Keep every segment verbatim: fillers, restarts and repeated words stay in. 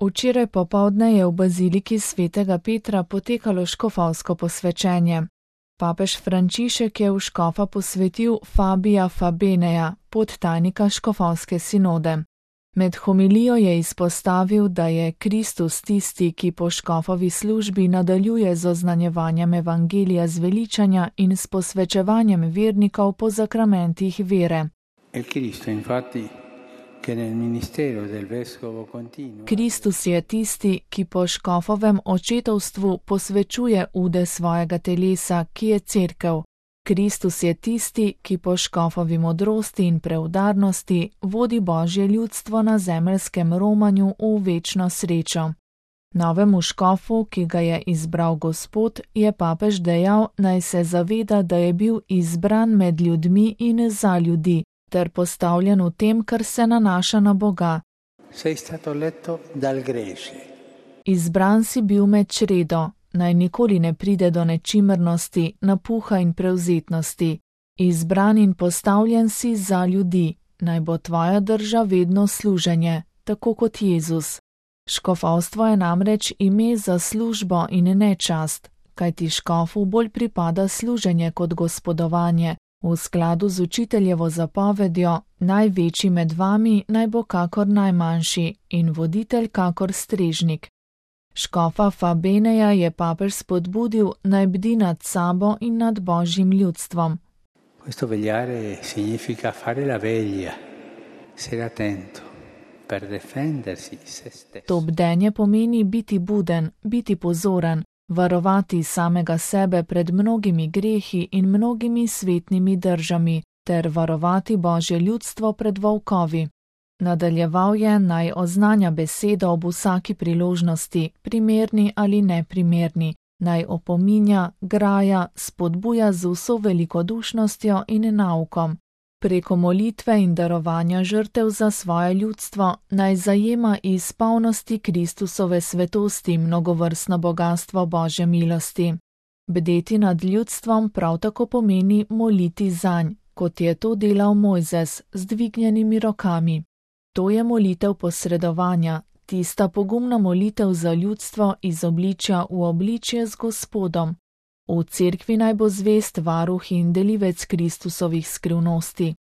Včeraj popoldne je v baziliki svetega Petra potekalo škofovsko posvečenje. Papež Frančišek je v škofa posvetil Fabija Fabeneja, podtajnika škofovske sinode. Med homilijo je izpostavil, da je Kristus tisti, ki po škofovi službi nadaljuje z oznanjevanjem evangelija zveličanja in s posvečevanjem vernikov po zakramentih vere. Kristus je tisti, ki po škofovem očetovstvu posvečuje ude svojega telesa, ki je cerkev. Kristus je tisti, ki po škofovi modrosti in preudarnosti vodi Božje ljudstvo na zemeljskem romanju v večno srečo. Novemu škofu, ki ga je izbral Gospod, je papež dejal, naj se zaveda, da je bil izbran med ljudmi in za ljudi, ter postavljen v tem, kar se nanaša na Boga. Izbran si bil med čredo, naj nikoli ne pride do nečimrnosti, napuha in prevzetnosti. Izbran in postavljen si za ljudi, naj bo tvoja drža vedno služenje, tako kot Jezus. Škofovstvo je namreč ime za službo in ne čast, kajti škofu bolj pripada služenje kot gospodovanje. V skladu z učiteljevo zapovedjo, največji med vami naj bo kakor najmanjši in voditelj kakor strežnik. Škofa Fabeneja je papež spodbudil, naj bdi nad sabo in nad Božjim ljudstvom. Questo vegliare significa fare la veglia, essere attento per defendersi se stesso. To bdenje pomeni biti buden, biti pozoren, varovati samega sebe pred mnogimi grehi in mnogimi svetnimi držami, ter varovati Božje ljudstvo pred volkovi. Nadaljeval je, naj oznanja besedo ob vsaki priložnosti, primerni ali neprimerni, naj opominja, graja, spodbuja z vso velikodušnostjo in naukom. Preko molitve in darovanja žrtev za svoje ljudstvo naj zajema iz polnosti Kristusove svetosti mnogovrstno bogastvo Božje milosti. Bdeti nad ljudstvom prav tako pomeni moliti zanj, kot je to delal Mojzes z dvignjenimi rokami. To je molitev posredovanja, tista pogumna molitev za ljudstvo iz obličja v obličje z Gospodom. V cerkvi naj bo zvest varuh in delivec Kristusovih skrivnosti.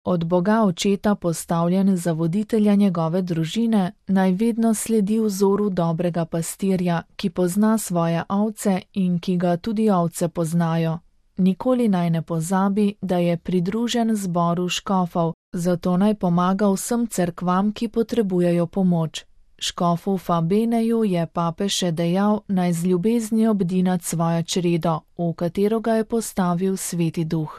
Od Boga očeta postavljen za voditelja njegove družine, naj vedno sledi vzoru dobrega pastirja, ki pozna svoje ovce in ki ga tudi ovce poznajo. Nikoli naj ne pozabi, da je pridružen zboru škofov, zato naj pomaga vsem cerkvam, ki potrebujejo pomoč. Škofu Fabeneju je papež še dejal, naj z ljubeznijo bdi nad svojo čredo, v katero ga je postavil Sveti Duh.